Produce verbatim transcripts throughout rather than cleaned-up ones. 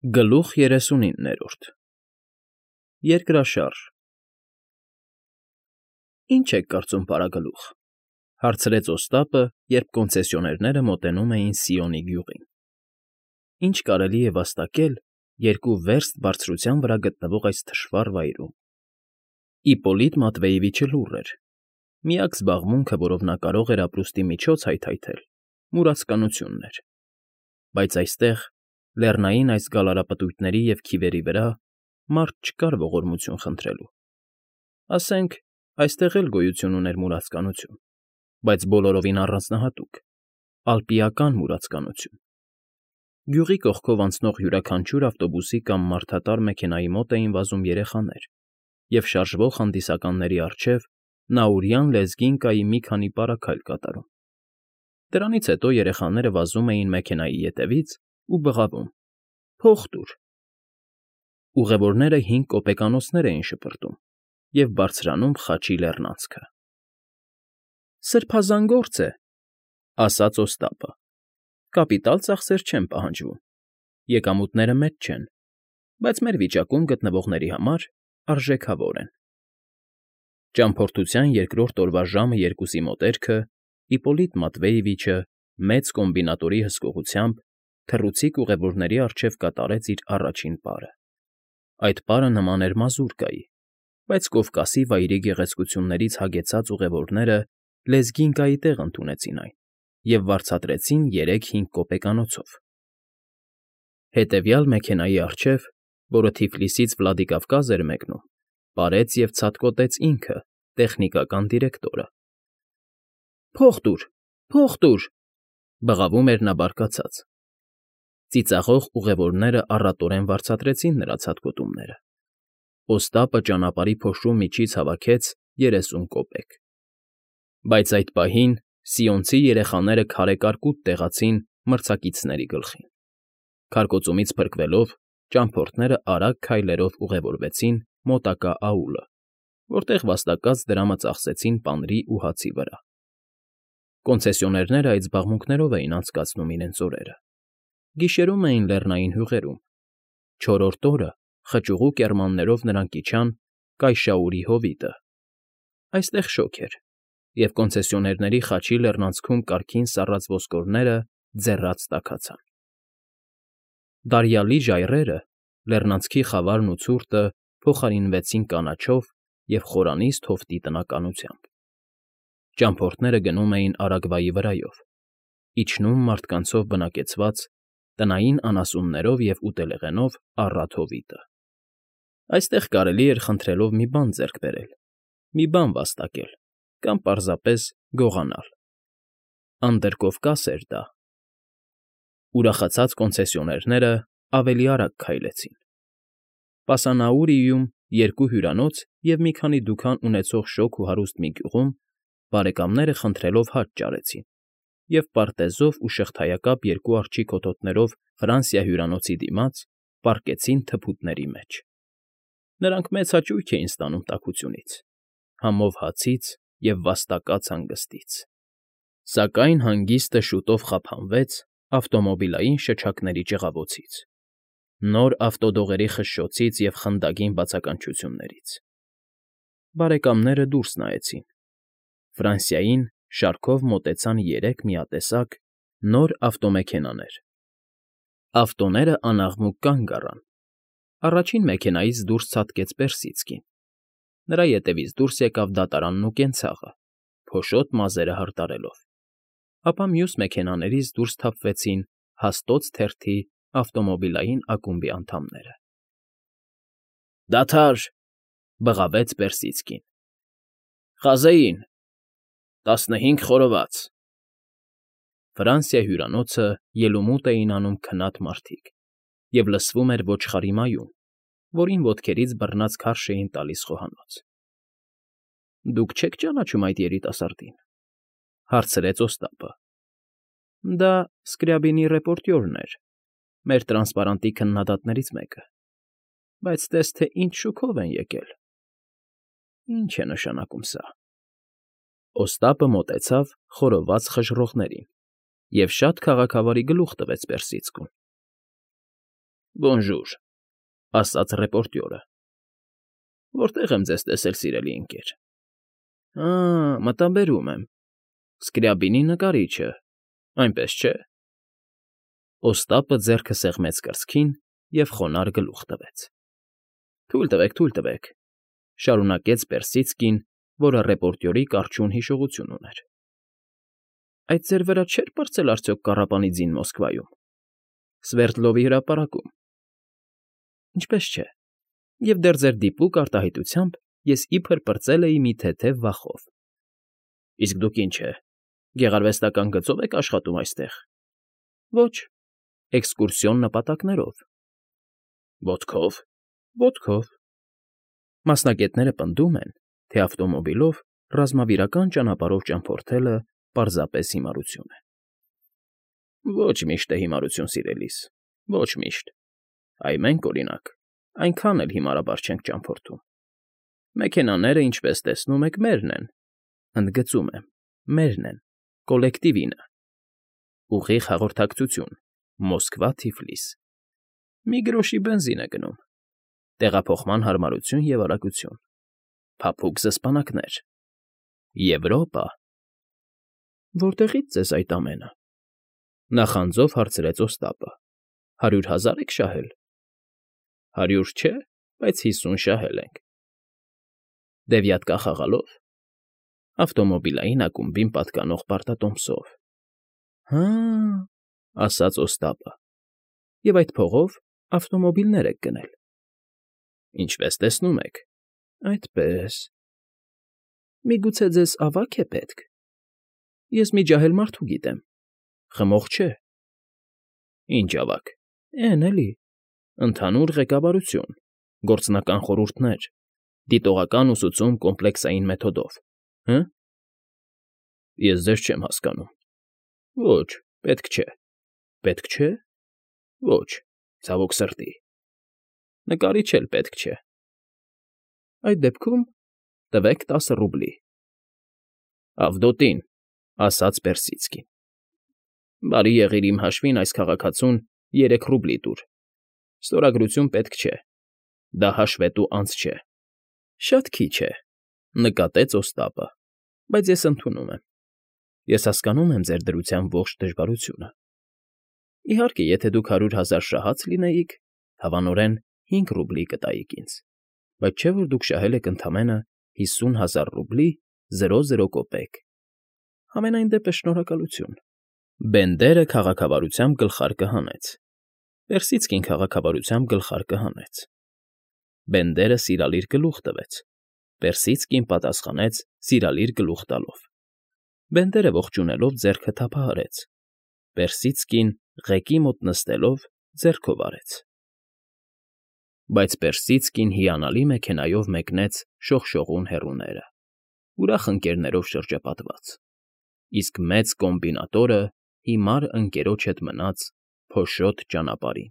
Գլուխ երեսունիններորդ Երկրաշարժ Ի՞նչ եք կարծում, պարագլուխ,֊ հարցրեց Օստապը, երբ կոնցեսիոներները մոտենում էին Սիոնի գյուղին։֊ Ի՞նչ կարելի է վաստակել երկու վերստ բարձրության վրա գտնվող այս թշվառ վայրում… Իպպոլիտ Մատվեևիչը լուռ էր. միակ զբաղմունքը, որով նա կարող էր ապրուստի միջոց հայթայթել, մուրացկանությունն էր, բայց այստեղ, լեռնային այս գալարապտույտների և քիվերի վրա, մարդ չկար ողորմություն խնդրելու… Ասենք, այստեղ էլ գոյություն ուներ մուրացկանություն, բայց բոլորովին առանձնահատուկ, ալպիական մուրացկանություն… Գյուղի կողքով անցնող յուրաքանչյուր ավտոբուսի կամ մարդատար մեքենայի մոտ էին վազում երեխաներ, և շարժվող հանդիսականների առջև նաուրյան լեզգին կայի մի քանի պարագայլ կատարում… Դրանից հետո երեխաները վազում էին մեքենայի ետևից ու բղավում. «Փող տուր»… Ուղևորները հինգ կոպեկանոցներ էին շպրտում և բարձրանում Խաչի լեռնանցքը։ ֊ Սրբազան գործ է,֊ ասաց Օստապը,֊ կապիտալ ծախսեր չեն պահանջվում, եկամուտները մեծ չեն, բայց մեր վիճակում գտնվողների համար արժեքավոր են… Ճամփորդության երկրորդ օրվա ժամը երկուսի մոտերքը Իպպոլիտ Մատվեևիչը մեծ կոմբինատորի հսկողությամբ թռուցիկ ուղևորների առջև կատարեց իր առաջին պարը… Այդ պարը նման էր մազուրկայի, բայց Կովկասի վայրի գեղեցկություններից հագեցած ուղևորները լեզգին կայի տեղ ընդունեցին այն և վարձատրեցին երեք֊հինգ կոպեկանոցով… Հետևյալ մեքենայի առջև, որը Թիֆլիսից Վլադիկավկազ էր մեկնում, պարեց և ցատկոտեց ինքը, տեխնիկական դիրեկտորը։ ֊ Փող տուր, փող տուր,֊ բղավում էր նա բարկացած… Ծիծաղող ուղևորները առատորեն վարձատրեցին նրա ցատկոտումները… Օստապը ճանապարհի փոշու միջից հավաքեց երեսուն կոպեկ… Բայց այդ պահին սիոնցի երեխաները քարե կարկուտ տեղացին մրցակիցների գլխին… Քարկոծումից փրկվելով, ճամփորդներն արագ քայլերով ուղևորվեցին մոտակա աուլը, որտեղ վաստակած դրամը ծախսեցին պանրի ու հացի վրա… Կոնցեսիոներները այդ զբաղմունքներով էին անցկացնում իրենց օրերը… Գիշերում էին լեռնային հյուղերում, չորրորդ օրը խճուղու կեռմաններով նրանք իջան Կայշաուրի հովիտը… Այստեղ շոգ էր, և կոնցեսիոներների Խաչի լեռնանցքում կարգին սառած ոսկորները ձեռաց տաքացան… Դարյալի ժայռերը, լեռնանցքի խավարն ու ցուրտը փոխարինվեցին կանաչով և խորանից թովտի տնականությամբ… Ճամփորդները գնում էին Արագվայի վրայով, իջնում մարդկանցով բնակեցված, տնային անասուններով և ուտելեղենով առատ հովիտը… Այստեղ կարելի էր խնդրելով մի բան ձեռք բերել, մի բան վաստակել կամ պարզապես գողանալ… Անդրկովկաս էր դա… Ուրախացած կոնցեսիոներներն ավելի արագ քայլեցին… Պասանաուրիում, երկու հյուրանոց և մի քանի դուքան ունեցող շոգ ու հարուստ մի գյուղում բարեկամները խնդրելովហាճ ճարեցին և պարտեզով ու շղթայակապ երկու արջի կոթողներով Ֆրանսիա հյուրանոցի դիմաց պառկեցին թփուտների մեջ… Նրանք մեծ հաճույք էին ստանում տաքությունից, համով հացից և վաստակած հանգստից… Սակայն հանգիստը շուտով խափանվեց ավտոմոբիլային շչակների ճղավոցից, նոր ավտոդողերի խշշոցից և խնդագին բացականչություններից… Բարեկամները դուրս նայեցին… Ֆրանսիային շարքով մոտեցան երեք միատեսակ, նոր ավտոմեքենաներ… Ավտոներն անաղմուկ կանգ առան… Առաջին մեքենայից դուրս ցատկեց Պերսիցկին… Նրա ետևից դուրս եկավ Դատարանն ու Կենցաղը, փոշոտ մազերը հարդարելով… Ապա մյուս մեքենաներից դուրս թափվեցին Հաստոց թերթի ավտոմոբիլային ակումբի անդամները… ֊ Դադա՛ր,֊ բղավեց Պերսիցկին,֊ Խազեին… տասնհինգ խորոված… Ֆրանսիա հյուրանոցը ելումուտ էին անում քնած մարդիկ, և լսվում էր ոչխարի մայուն, որին ոտքերից բռնած քարշ էին տալիս խոհանոց… ֊ Դուք չե՞ք ճանաչում այդ երիտասարդին,֊ հարցրեց Օստապը։ ֊ Դա Սկրյաբինի ռեպորտյորն էր, մեր տրանսպարանտի քննադատներից մեկը, բայց տես թե ինչ շուքով են եկել… Ի՞նչ է նշանակում սա… Օստապը մոտեցավ խորոված խժռողներին և շատ քաղաքավարի գլուխ տվեց Պերսիցկուն։ Բոնժուր, ասաց ռեպորտյորը։ Որտե՞ղ եմ ձեզ տեսել, սիրելի ընկեր։ Ա, մտաբերում եմ, Սկրյաբինի նկարիչը, այնպես չէ։ Օստապը ձեռքը սեղմեց կրծքին և խոնարհ գլուխ տվեց։ Թույլ տվեք, թույլ տվեք, շարունակեց Պերսիցկին, որը ռեպորտյորի կառչուն հիշողություն ուներ։ Այդ ձեր վրա չէր պրծել արդյոք կառապանի ձին Մոսկվայում, Սվերդլովի հրապարակում։ Ինչպես չէ, և դեռ ձեր դիպուկ արտահայտությամբ ես իբր պրծել էի մի թեթև վախով։ Իսկ դուք ինչ է, գեղարվեստական գծո՞վ եք աշխատում այստեղ։ Ոչ, էքսկուրսիոն նպատակներով։ Ոտքո՞վ, ոտքով։ Մասնագետները պնդում են, թե ավտոմոբիլով ռազմավիրական ճանապարհով ճամփորդելը պարզապես հիմարություն է։ Ոչ միշտ է հիմարություն, սիրելիս, ոչ միշտ։ Այ մենք, օրինակ, այնքան էլ հիմարաբար չենք ճամփորդում։ Մեքենաները, ինչպես տեսնում եք, մերն են, ընդգծում եմ, մերն են, կոլեկտիվինը։ Ուղիղ հաղորդակցություն, Մոսկվա֊Թիֆլիս։ Մի գրոշի բենզին է գնում։ Տեղափոխման հարմարություն և արագություն։ Փափուկ զսպանակներ։ Եվրոպա։ Որտեղի՞ց ձեզ այդ ամենը։ Նախանձով հարցրեց Օստապը։ Հարյուր հազա՞ր եք շահել։ Հարյուր չէ, բայց հիսուն շահել ենք։ Դևյատկա խաղալո՞վ։ Ավտոմոբիլային ակումբին պատկանող պարտատոմսով։ Հա, ասաց Օստապը։ Եվ այդ փողով ավտոմոբիլներ եք գնել։ Ինչպես տեսնում եք, այդպես։ Միգուցե ձեզ ավա՞կ է պետք։ Ես մի ջահել մարդու գիտեմ։ Խմող չէ։ Ինչ ավագ։ Էն էլի։ Ընդհանուր ղեկավարություն, գործնական խորհուրդներ, դիտողական ուսուցում կոմպլեքսային մեթոդով, հը։ Ես ձեզ չեմ հասկանում։ Ոչ, պետք չէ։ Պետք չէ։ Ոչ, ցավոք սրտի։ Նկարիչ էլ պետք չէ։ Այդ դեպքում տվեք տասը ռուբլի։ Ավդոտին, ասաց Պերսիցկին։ Բարի եղիր իմ հաշվին այս քաղաքացուն երեք ռուբլի տուր։ Ստորագրություն պետք չէ։ Դա հաշվետու անց չէ։ Շատ քիչ է, նկատեց Օստապը, բայց ես ընդունում եմ։ Ես հասկանում եմ ձեր դրության ողջ դժվարությունը։ Իհարկե, եթե դուք հարյուր հազար շահած լինեիք, հավանորեն հինգ ռուբլի կտայիք ինձ, բայց չէ՞ որ դուք շահել եք ընդամենը հիսուն հազար ռուբլի զրո զրո կոպեկ։ Համենայն դեպս շնորհակալություն։ Բենդերը քաղաքավարությամբ գլխարկը հանեց։ Պերսիցկին քաղաքավարությամբ գլխարկը հանեց։ Բենդերը սիրալիր գլուխ տվեց։ Պերսիցկին պատասխանեց սիրալիր գլուխ տալով։ Բենդերը ողջունելով ձեռքը թափահարեց։ Պերսիցկին ղեկի մոտ նստելով ձեռքով արեց։ Բայց Պերսիցկին հիանալի մեքենայով մեկնեց շողշողուն հեռուները, ուրախ ընկերներով շրջապատված, իսկ մեծ կոմբինատորը հիմար ընկերոջ հետ մնաց փոշոտ ճանապարհին։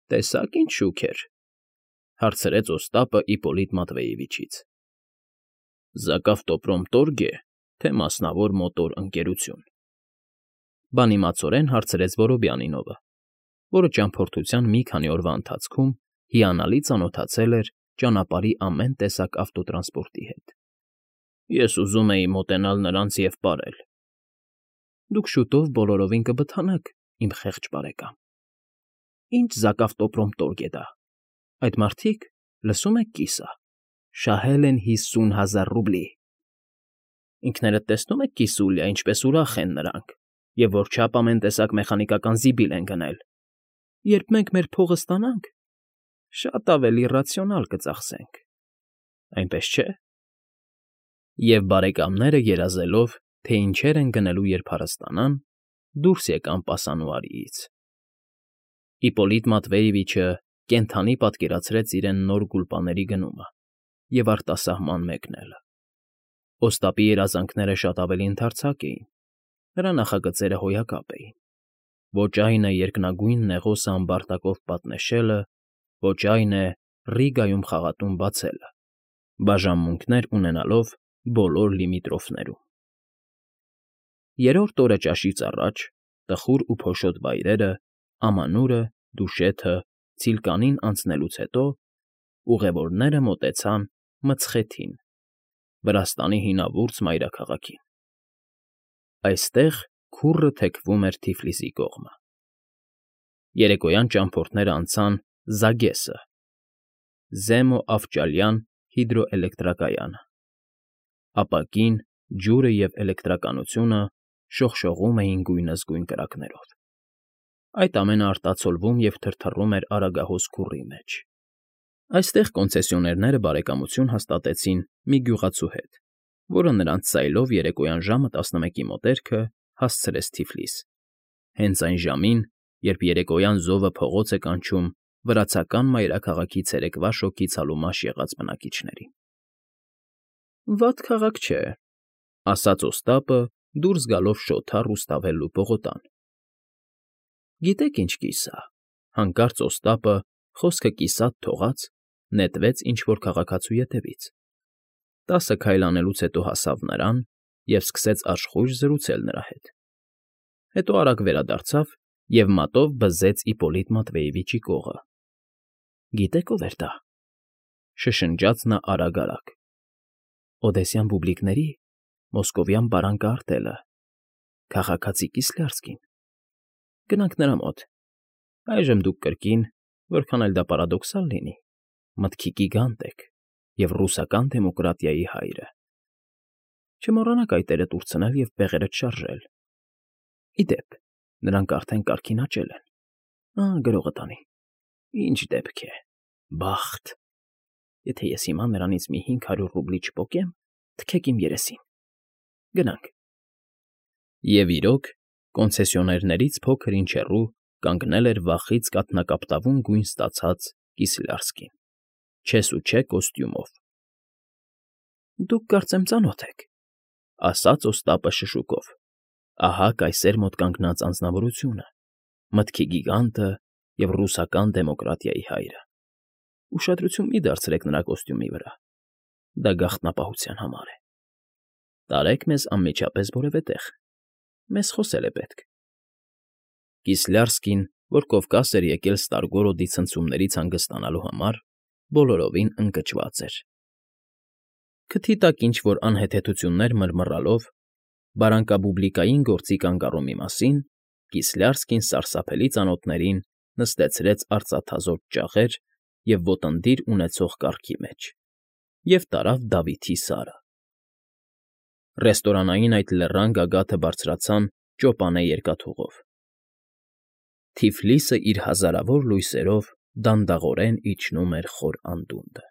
Տեսա՞ք ինչ շուք էր,֊ հարցրեց Օստապը Իպոլիտ Մատվեևիչից։ Զակավտոպրոմտորգ է, թե մասնավոր մոտոր ընկերություն,֊ բանիմացորեն հարցրեց Որոբյանինովը, որը ճամփորդության մի քանի օրվա ընթացքում հիանալի ծանոթացել էր ճանապարհի ամեն տեսակ ավտոտրանսպորտի հետ։ Ես ուզում էի մոտենալ նրանց և պարել։ Դուք շուտով բոլորովին կբթանաք, իմ խեղճ բարեկամ։ Ինչ զակավտոպրոմտորգ է դա։ Այդ մարդիկ, լսում եք կիսա, շահել են հիսուն հազար ռուբլի։ Ինքներդ տեսնում եք կիսուլյա, ինչպես ուրախ են նրանք, և որչափ ամեն տեսակ մեխանիկական զիբիլ են գնել։ Երբ մենք մեր փողը ստանանք, շատ ավելի ռացիոնալ կծախսենք, այնպես չէ։ Եվ բարեկամները երազելով, թե ինչեր են գնելու, երբ հարստանան, դուրս եկան պասանուարիից։ Իպոլիտ Մատվեևիչը կենդանի պատկերացրեց իրեն նոր գուլպաների գնումը և արտասահման մեկնելը։ Օստապի երազանքները շատ ավելի ընդարձակ էին, նրա նախագծերը հոյակապ էին։ Ոչ այն է երկնագույն նեղոսը ամբարտակով պատնեշելը, ոչ այն է Ռիգայում խաղատուն բացելը, բաժանմունքներ ունենալով բոլոր լիմիտրոֆներում։ Երրորդ օրը ճաշից առաջ տխուր ու փոշոտ վայրերը, ամանորը, Դուշեթը, Ցիլկանին անցնելուց հետո ուղևորները մոտեցան Մցխեթին, Վրաստանի հինավուրց մայրաքաղաքին. այստեղ քուռը թեքվում էր Թիֆլիսի կողմը։ Երեկոյան ճամփորդներն անցան Զագեսը, Զեմո֊Ավճալյան հիդրոէլեկտրակայանը։ Ապակին, ջուրը և էլեկտրականությունը շողշողում էին գույնզգույն կրակներով։ Այդ ամենը արտացոլվում և թրթռում էր Արագահոս քուռի մեջ։ Այստեղ կոնցեսիոներները բարեկամություն հաստատեցին մի գյուղացու հետ, որը նրանց սայլով երեկոյան ժամը տասնմեկի մոտերքը հասցրեց Թիֆլիս, հենց այն ժամին, երբ երեկոյան զովը փողոց է կանչում վրացական մայրաքաղաքի ցերեկվա շոգի ցալումաշ եղած բնակիչներին։ «Վատ քաղաք չէ,֊ ասաց Օստապը, դուրս գալով շոթ առուստավելլու պողոտան։ Գիտեք ինչ կիսա,֊ հանկարծ Օստապը, խոսքը կիսատ թողած, նետվեց ինչ֊որ քաղաքացու ետևից։ Տասը քայլ անելուց հետո հասավ նրան և սկսեց աշխույժ զրուցել նրա հետ։ Հետո արագ վերադարձավ և մատով բզեց Իպոլիտ Մատվեևիչի կողը։ «Գիտեք ով էր դա,֊ շշնջաց նա արագ֊արագ,֊ Օդեսյան բուբլիկների մոսկովյան բարան կարտելը, քաղաքացի Կիսլյարսկին։ Գնանք նրա մոտ։ Այժմ դուք կրկին, որքան էլ դա պարադոքսալ լինի, մտքի գիգանտ եք և ռուսական դեմոկրատիայի հայրը։ Չմոռանաք այդ էրը տուրցնել և բեղերդ շարժել։ Ի դեպ, նրանք արդեն կարգին աճել են։ Ահա գրողը տանի։ Ինչ դեպք է, բախտ… Եթե ես հիմա նրանից մի հինգ հարյուր ռուբլի չպոկեմ, թքեք իմ երեսին։ Գնանք»։ Եվ իրոք, կոնցեսիոներներից փոքր֊ինչ հեռու կանգնել էր վախից կաթնակապտավուն գույն ստացած Կիսլյարսկին, չեսուչե կոստյումով։ «Դուք, կարծեմ, ծանոթ եք,֊ ասաց Օստապը շշուկով։ Ահա կայսեր մոտ կանգնած անձնավորությունը, մտքի գիգանտը և ռուսական դեմոկրատիայի հայրը։ Ուշադրություն մի դարձրեք նրա կոստյումի վրա, դա գաղտնապահության համար է։ Տարեք մեզ անմիջապես որևէ տեղ, մեզ խոսել է պետք»։ Կիսլյարսկին, որ Կովկաս էր եկել Ստարգորոդի ցնցումներից հանգստանալու համար, բոլորովին ընկճված էր։ Քթի տակ ինչ֊որ անհեթեթություններ մռմռալով, բարանկաբուբլիկային գործի կանգառումի մասին, Կիսլյարսկին սարսափելի ծանոթներին նստեցրեց արծաթազօծ ճաղեր և ոտննդիր ունեցող կառքի մեջ և տարավ Դավիթի Սարը։ Ռեստորանային այդ լեռան գագաթը բարձրացան ճոպանե երկաթուղով։ Թիֆլիսը իր հազարավոր լույսերով դանդաղորեն իջնում էր խոր անդունդը։